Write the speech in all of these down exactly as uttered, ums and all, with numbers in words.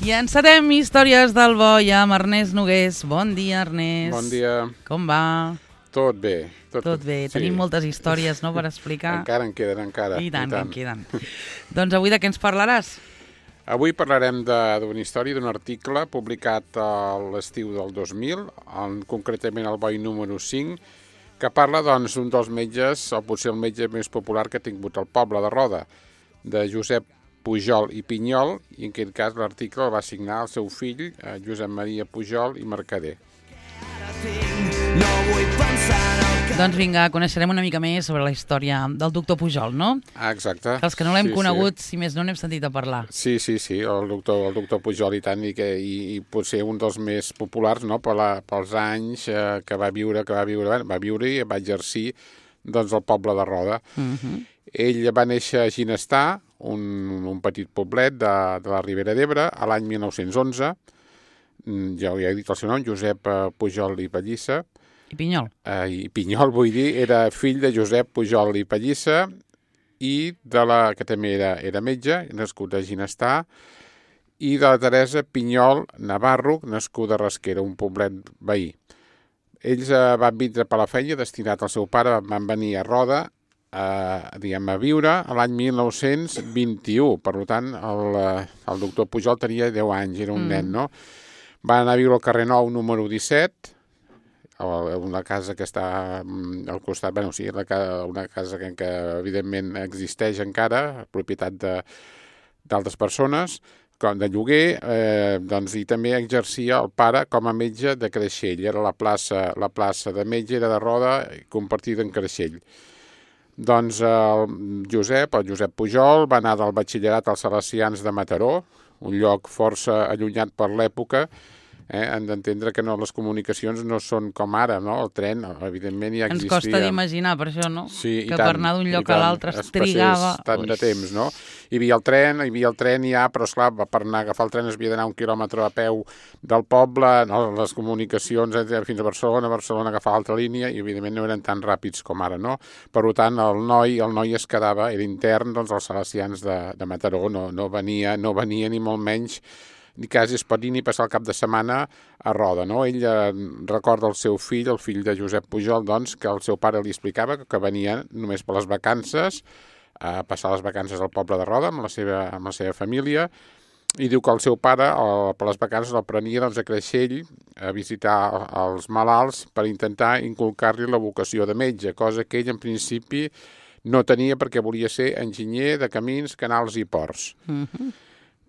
I encetem Històries del Boi amb Ernest Nogués. Bon dia, Ernest. Bon dia. Com va? Tot bé. Tot, tot bé. Sí. Tenim moltes històries, no?, per explicar. Encara en queden, encara. I tant, I tant. que en queden. Doncs avui de què ens parlaràs? Avui parlarem d'una història, d'un article publicat a l'estiu del dos mil, en, concretament al Boi número cinc, que parla doncs, d'un dels metges, o potser el metge més popular que ha tingut el poble de Roda, de Josep Pujol i Pinyol, i en aquest cas l'article el va signar el seu fill, Josep Maria Pujol i Mercader. Doncs vinga, coneixerem una mica més sobre la història del doctor Pujol, no? Ah, exacte. Que els que no l'hem sí, conegut, sí. si més no, n'hem sentit a parlar. Sí, sí, sí, el doctor, el doctor Pujol i tant, i, que, i, i potser un dels més populars, no?, per la, pels anys eh, que va viure, que va viure, va viure i va exercir doncs, el poble de Roda. Uh-huh. Ell va néixer a Ginestar, un, un petit poblet de, de la Ribera d'Ebre, a l'any mil nou-cents onze. Ja, ja he dit el seu nom, Josep Pujol i Pallissa. I Pinyol. Eh, I Pinyol, vull dir, era fill de Josep Pujol i Pallissa i de la, que també era, era metge, nascut a Ginestar, i de la Teresa Pinyol Navarro, nascuda a Rasquera, un poblet veí. Ells eh, van vindre per la feina, destinat al seu pare, van venir a Roda, Uh, diguem, a viure a l'any mil nou-cents vint-i-u. Per tant, el, el doctor Pujol tenia deu anys, era un mm. nen, no? Va anar a viure al carrer Nou, número disset, una casa que està al costat, bueno, sí, una casa que, que evidentment existeix encara, propietat d'altres persones, com de lloguer, eh, doncs, i també exercia el pare com a metge de Creixell. Era la plaça, la plaça de metge, era de Roda, compartida en Creixell. Doncs el Josep, el Josep Pujol, va anar del batxillerat als Salesians de Mataró, un lloc força allunyat per l'època. Eh? Hem d'entendre que no, les comunicacions no són com ara, no? El tren, evidentment, ja existia. Ens costa d'imaginar, per això, no? Sí, que tant, per anar d'un lloc a l'altre es trigava... tant de temps, no? Hi havia el tren, hi havia el tren ja, però esclar, per anar a agafar el tren es havia d'anar un quilòmetre a peu del poble, no? Les comunicacions fins a Barcelona, Barcelona agafar l'altra línia, i evidentment no eren tan ràpids com ara, no? Per tant, el noi, el noi es quedava, era intern, doncs, als Salesians de, de Mataró, no, no, venia, no venia ni molt menys ni quasi es pot dir ni passar el cap de setmana a Roda, no? Ell eh, recorda el seu fill, el fill de Josep Pujol, doncs, que el seu pare li explicava que, que venia només per les vacances, a passar les vacances al poble de Roda amb la seva, amb la seva família, i diu que el seu pare, el, per les vacances, el prenia doncs, a Creixell a visitar els malalts per intentar inculcar-li la vocació de metge, cosa que ell en principi no tenia perquè volia ser enginyer de camins, canals i ports. Mm-hmm.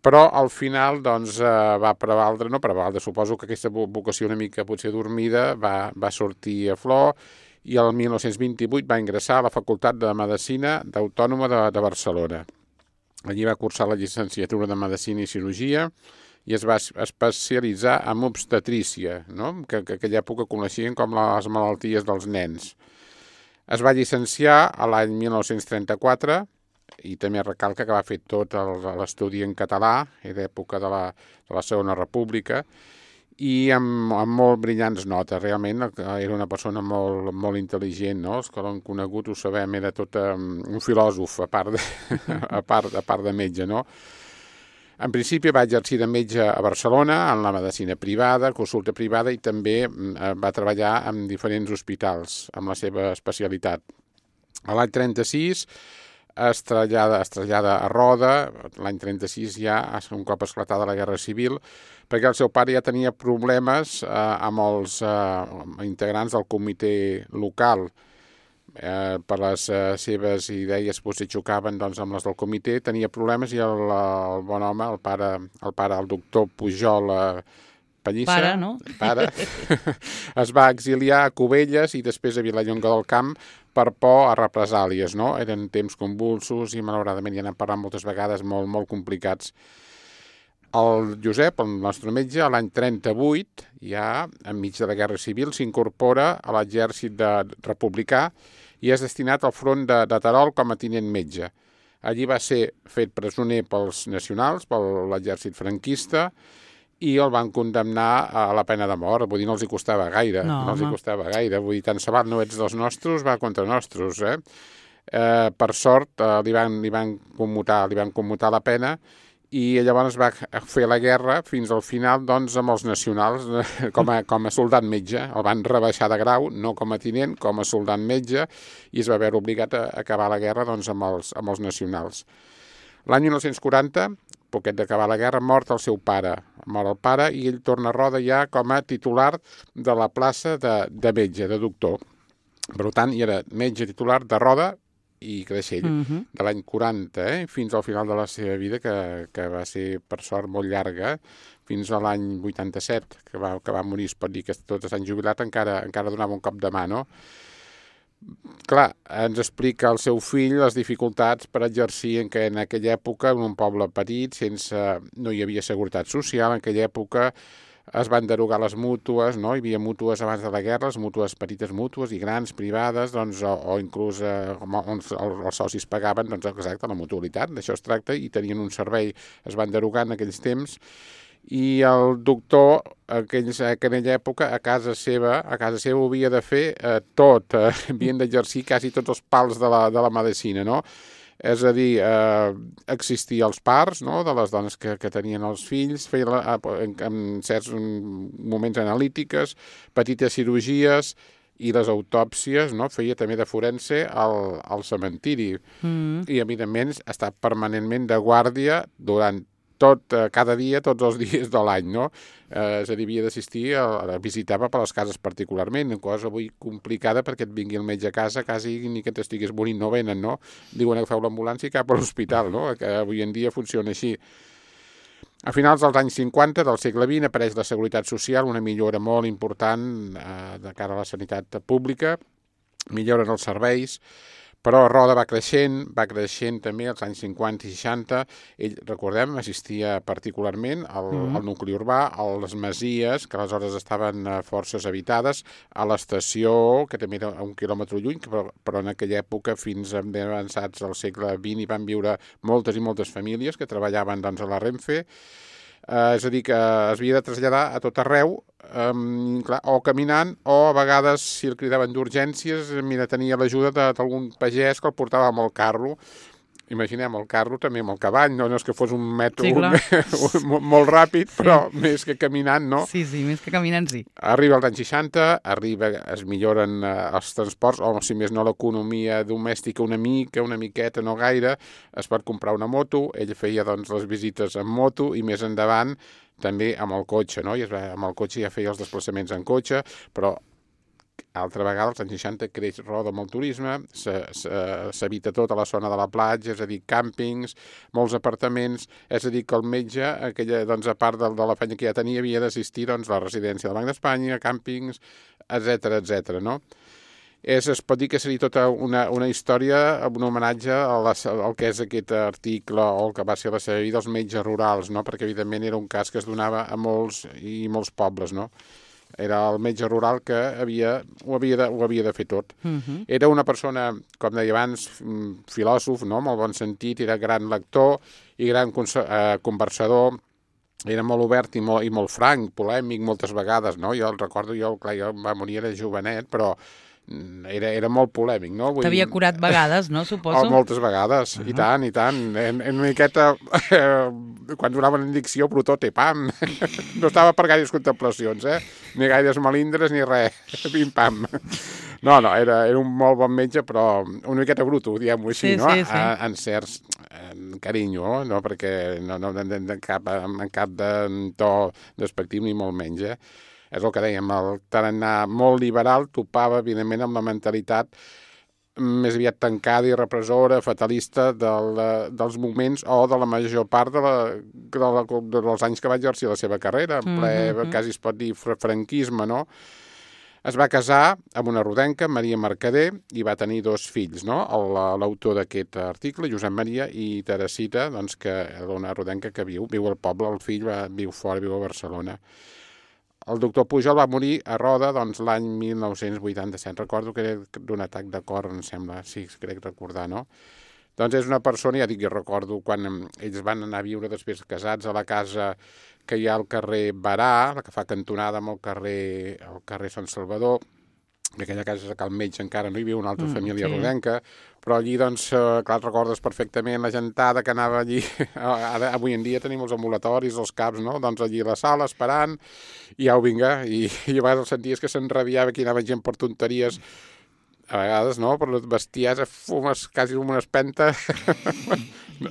Però al final doncs, eh, va prevaldre, no prevaldre, suposo que aquesta vocació una mica potser dormida va, va sortir a flor, i el mil nou-cents vint-i-vuit va ingressar a la Facultat de Medicina d'Autònoma de, de Barcelona. Allí va cursar la llicenciatura de Medicina i Cirurgia i es va especialitzar en obstetrícia, no? que, que aquella època coneixien com les malalties dels nens. Es va llicenciar a l'any mil nou-cents trenta-quatre, i també recalca que va fer tot l'estudi en català, era època de la, de la Segona República, i amb, amb molt brillants notes. Realment era una persona molt, molt intel·ligent, no? Els que l'han conegut ho sabem, era tot um, un filòsof, a part, de, a, part, a part de metge, no? En principi va exercir de metge a Barcelona, en la medicina privada, consulta privada, i també va treballar en diferents hospitals, amb la seva especialitat. A l'any trenta-sis es trasllada, es trasllada a Roda, l'any trenta-sis ja, un cop esclatada la Guerra Civil, perquè el seu pare ja tenia problemes eh, amb els eh, integrants del comitè local. Eh, per les eh, seves idees potser xocaven doncs, amb les del comitè, tenia problemes i el, el bon home, el pare, el, pare, el doctor Pujol eh, Pallissa, pare, no? pare es va exiliar a Cubelles i després a Vilallonga del Camp per por a represàlies, no? Eren temps convulsos i malauradament ja n'hem parlat moltes vegades, molt, molt complicats. El Josep, el nostre metge, a l'any trenta-vuit, ja enmig de la Guerra Civil, s'incorpora a l'exèrcit de republicà i és destinat al front de, de Terol com a tinent metge. Allí va ser fet presoner pels nacionals, per l'exèrcit franquista, i el van condemnar a la pena de mort. Vull dir, no els hi costava gaire. No, no els hi costava gaire. Vull dir, tant se val, no ets dels nostres, va contra nostres, eh? eh, per sort, eh, li, van, li, van commutar, li van commutar la pena i llavors va fer la guerra fins al final doncs, amb els nacionals com a, com a soldat metge. El van rebaixar de grau, no com a tinent, com a soldat metge, i es va veure obligat a acabar la guerra doncs, amb, els, amb els nacionals. L'any dinou quaranta, poquet d'acabar la guerra, mort el seu pare. Mort el pare i ell torna a Roda ja com a titular de la plaça de, de metge, de doctor. Per tant, hi era metge titular de Roda i Creixell, uh-huh. de l'any quaranta, eh, fins al final de la seva vida, que, que va ser, per sort, molt llarga, fins a l'any vuitanta-set, que va, que va morir, es pot dir que tots s'han jubilat, encara, encara donava un cop de mà, no? Clar, ens explica el seu fill les dificultats per exercir en, que en aquella època, en un poble petit, sense, no hi havia seguretat social, en aquella època es van derogar les mútues, no? Hi havia mútues abans de la guerra, les mútues petites mútues i grans, privades, doncs, o, o inclús eh, on els, els socis pagaven, doncs exacte, la mutualitat, d'això es tracta, i tenien un servei, es van derogar en aquells temps, i el doctor, aquells, en aquella època, a casa seva, a casa seva ho havia de fer eh, tot, eh, havien d'exercir quasi tots els pals de la, de la medicina, no? És a dir, eh, existir els parts, no?, de les dones que, que tenien els fills, feia la, en, en certs moments analítiques, petites cirurgies i les autòpsies, no?, feia també de forense al, al cementiri. Mm. I, evidentment, està permanentment de guàrdia durant tot, eh, cada dia, tots els dies de l'any, no? Eh, és a dir, havia d'assistir, a, a visitava per les cases particularment, una cosa avui complicada perquè et vingui el metge a casa, quasi ni que t'estigués morint no venen, no? Diuen que feu l'ambulància cap a l'hospital, no? Que avui en dia funciona així. A finals dels anys cinquanta del segle vint apareix la Seguretat Social, una millora molt important eh, de cara a la sanitat pública, milloren els serveis, però Roda va creixent, va creixent també als anys cinquanta i seixanta. Ell, recordem, assistia particularment al, mm. al nucli urbà, a les masies, que aleshores estaven forces habitades, a l'estació, que també era a un quilòmetre lluny, però, però en aquella època, fins a ben avançats al segle vint, hi van viure moltes i moltes famílies que treballaven doncs, a la Renfe. Uh, és a dir, que es havia de traslladar a tot arreu, um, clar, o caminant, o a vegades, si el cridaven d'urgències, mira, tenia l'ajuda d'algun pagès que el portava amb el carro. Imaginem el carro també amb el cavall, no, no és que fos un mètode sí, molt ràpid, però sí. Més que caminant, no? Sí, sí, més que caminant, sí. Arriba als anys seixanta, arriba, es milloren eh, els transports, o si més no l'economia domèstica una mica, una miqueta, no gaire, es pot comprar una moto, ell feia doncs les visites en moto i més endavant també amb el cotxe, no? I es va, amb el cotxe ja feia els desplaçaments en cotxe, però altra vegada, als anys seixanta, creix Roda amb el turisme, s'habita tota la zona de la platja, és a dir, càmpings, molts apartaments, és a dir, que el metge, aquella, doncs, a part de, de la feina que ja tenia, havia d'assistir doncs, a la residència del Banc d'Espanya, càmpings, etcètera, etcètera, no? És, es pot dir que seria tota una, una història, un homenatge a la, al que és aquest article o el que va ser la seva vida, els metges rurals, no? Perquè, evidentment, era un cas que es donava a molts i molts pobles, no? Era el metge rural que havia, ho, havia de, ho havia de fer tot. Uh-huh. Era una persona, com deia abans, filòsof, no? Molt bon sentit, era gran lector i gran eh, conversador, era molt obert i molt, i molt franc, polèmic moltes vegades, no? Jo el recordo, jo, clar, jo va morir, era jovenet, però era, era molt polèmic, no? T'havia curat vegades, no, suposo? Oh, moltes vegades, uh-huh. I tant, i tant. En, en una miqueta, eh, quan donaven indicció, protó, pam. No estava per gaires contemplacions, eh? Ni gaires melindres, ni res. Pim-pam. No, no, era, era un molt bon metge, però una miqueta bruto, diguem-ho així, sí, no? Sí, sí. En, en certs en carinyo, no? Perquè no, no en, en, cap, en cap de to despectiu ni molt menys, eh? És el que dèiem, el tarannà molt liberal topava, evidentment, amb la mentalitat més aviat tancada i repressora, fatalista del, dels moments o de la major part de la, de la, de dels anys que va exercir la seva carrera, en ple, mm-hmm. quasi es pot dir, franquisme, no? Es va casar amb una rodenca, Maria Mercader, i va tenir dos fills, no? L'autor d'aquest article, Josep Maria, i Teresita, doncs, que és una rodenca que viu, viu al poble, el fill va, viu fora, viu a Barcelona. El doctor Pujol va morir a Roda doncs, l'any mil nou-cents vuitanta-set. Recordo que era d'un atac de cor, em sembla, sí, crec recordar, no? Doncs és una persona, ja dic, jo recordo quan ells van anar a viure després casats a la casa que hi ha al carrer Barà, la que fa cantonada amb el carrer, el carrer Sant Salvador, en aquella casa a Cal Metge encara no hi havia una altra Mm, família sí. rodenca, però allí, doncs, eh, clar, et recordes perfectament la gentada que anava allí. Ara, avui en dia tenim els ambulatoris, els CAPs, no? Doncs allí a la sala, esperant, i au, vinga, i, i a vegades senties que s'enrabiava, que hi anava gent per tonteries, a vegades, no? Per les bestiesa, fumes, quasi com una espenta.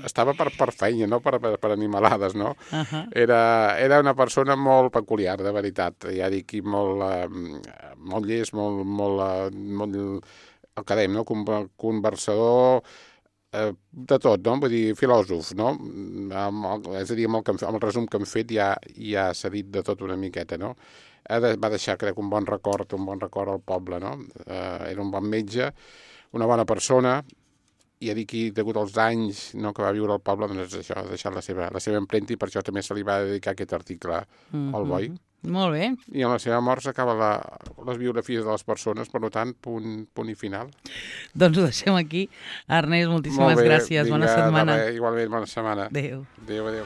Estava per, per feina, no? Per, per, per animalades, no? Uh -huh. Era, era una persona molt peculiar, de veritat. Ja dic, i molt, eh, molt llest, molt, molt, eh, molt el que dèiem, no? Con- conversador, eh, de tot, no? Vull dir, filòsof, no? Amb el, és a dir, amb el, que hem, amb el resum que hem fet ja, ja s'ha dit de tot una miqueta, no? De, va deixar, crec, un bon record, un bon record al poble, no? Eh, era un bon metge, una bona persona, i ja dic que, degut als anys, no, que va viure al poble, doncs això, ha deixat la seva, la seva empremta, i per això també se li va dedicar aquest article Mm-hmm. al Boi. Molt bé. I en la seva mort s'acaba la, les biografies de les persones, per tant, punt, punt i final. Doncs ho deixem aquí. Ernest, moltíssimes Molt bé, gràcies. Bona vinga, setmana. de res, igualment, bona setmana. Adéu. Adéu, adéu.